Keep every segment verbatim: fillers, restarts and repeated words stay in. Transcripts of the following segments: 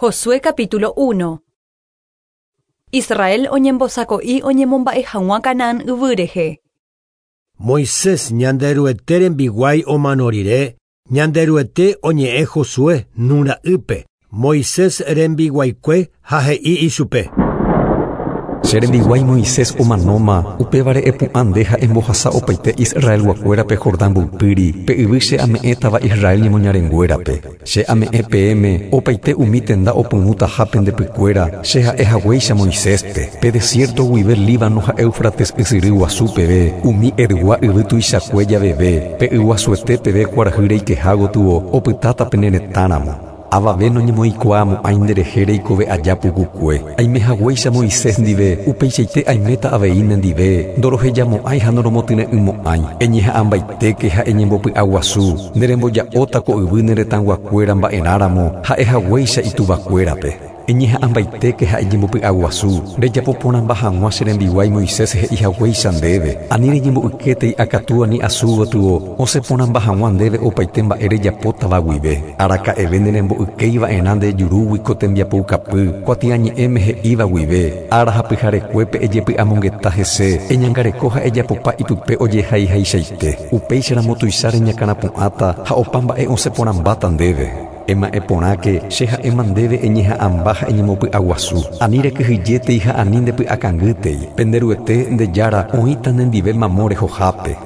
Josué capítulo uno. Israel oñembosako'i oñemomba'e hag̃ua Canaán yvy rehe. Moisés Ñanderuete rembiguái omano rire, Ñanderuete oñe'ẽ Josué Nun ra'ýpe, Moisés rembiguaikue ha he'i ichupe. Che rembiguái Moisés omanóma, upévare epu'ã nde ha embohasa opaite Israelguakuérape Jordán mboypýri, pe yvy che ame'ẽtava Israel ñemoñarenguérape. Che ame'ẽ peẽme opaite umi tenda opyrũtaha pendepykuéra, che ha'e haguéicha Moiséspe, pe desierto guive Líbano ha Éufrates ysyry guasu peve, umi Etgua yvy tuichakue javeve, pe yguasuete peve kuarahy reikeha gotyo opytáta pene retãramo. Avave noñemoĩkuaamo'ãi nderehe reikove aja pukukue. Aime haguéicha Moisés ndive, upeichaite aiméta avei nendive, ndorohejamo'ãi ha ndoromotyre'ỹmo'ãi. Eñeha'ãmbaitéke ha eñembopy'aguasu, neremboja'óta ko yvy ne retãguakuéra mba'erãramo ha'e haguéicha ituvakuérape. Eñeha'ãmbaitéke ha eñembopy'aguasu, rejapoporãmba hag̃ua che rembiguái Moisés he'i haguéicha ndéve. Ani reñembo'ykétei akatúa ni asu gotyo, osẽporãmba hag̃ua ndéve opaite mba'e rejapótava guive. Araka'eve nerembo'ykeiva'erã nde jurúgui ko tembiapoukapy, kuatiañe'ẽme he'íva guive, ára ha pyharekuépe ejepy'amongeta hese, eñangareko ha ejapopa ipype ojehaihaichaite. Upéicharamo tuicha reñakãrapu'ãta ha opa mba'e osẽporãmbáta ndéve. Ema'ẽ porãke che ha'éma ndéve eñeha'ãmba ha eñemopy'aguasu. Ani rekyhyjétei ha ani ndepy'akangýtei. Penderuete nde jára oĩta nendive mamo rehohápe.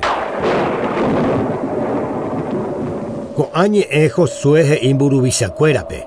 Ko'ã ñe'ẽ Josué he'i mburuvichakuérape.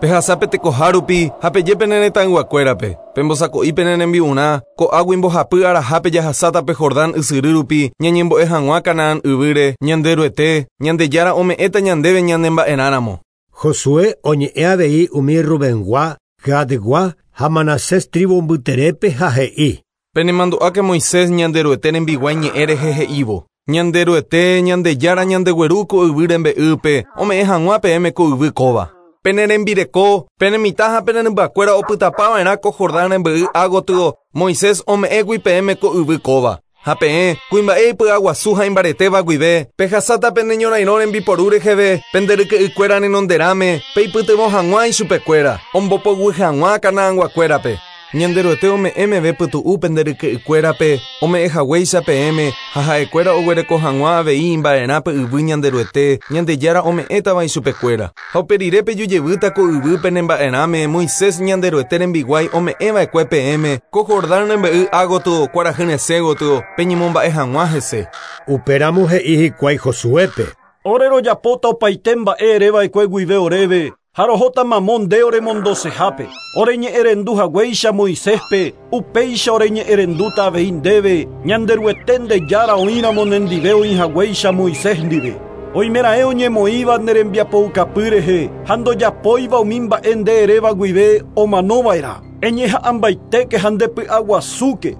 Pehasápe tekoha rupi ha peje pene retãyguakuérape. Pembosako'i pene rembi'urã, ko'águi mbohapy arahápe jahasáta pe Jordán ysyry rupi, ñañembo'e hag̃ua Canaán yvýre, Ñanderuete, Ñandejára ome'ẽta ñandéve ñanemba'erãramo. Josué oñe'ẽ avei umi Rubengua, Gadgua ha Manasés tribu mbyterépe ha he'i. Penemandu'áke Moisés Ñanderuete rembiguái ñe'ẽ rehe he'ívo. Ñanderuete, Ñandejára ñandegueru ko yvy rembe'ýpe, ome'ẽ hag̃ua peẽme ko yvy kóva. Pene rembireko, pene mitã ha pene rymbakuéra opytapava'erã ko Jordán rembe'y ágotyo, Moisés ome'ẽgui peẽme ko yvy kóva. Ha peẽ, kuimba'e ipy'aguasu ha imbaretéva guive, pehasáta pene ñorairõ rembiporu reheve, pende ryke'ykuéra renonderãme, peipytyvõ hag̃ua ichupekuéra, ombopoguy hag̃ua Canaanguakuérape. Ñanderuete ome'ẽ meve pytu'u pende ryke'ykuérape, ome'ẽ haguéicha peẽme, ha ha'ekuéra oguereko hag̃ua avei imba'erã pe yvy Ñanderuete, Ñandejára ome'ẽtava ichupekuéra. Ha uperire pejujevýta ko yvy pene mba'erãme, Moisés Ñanderuete rembiguái ome'ẽva'ekue peẽme, ko Jordán rembe'y ágotyo, kuarahy resẽ gotyo, peñemomba'e hag̃ua hese. Upéramo he'i hikuái Josuépe. Ore rojapóta opaite mba'e ereva'ekue guive oréve, ha rohóta mamo nde oremondosehápe. Ore ñe'ẽrendu haguéicha Moiséspe, upéicha ore ñe'ẽrendúta avei ndéve, Ñanderuete nde jára oĩramo nendive oĩ haguéicha Moisés ndive. Oimeraẽ oñemoĩva ne rembiapoukapy rehe, ha ndojapóiva umi mba'e nde eréva guive omanova'erã. Eñeha'ãmbaitéke ha ndepy'aguasúke,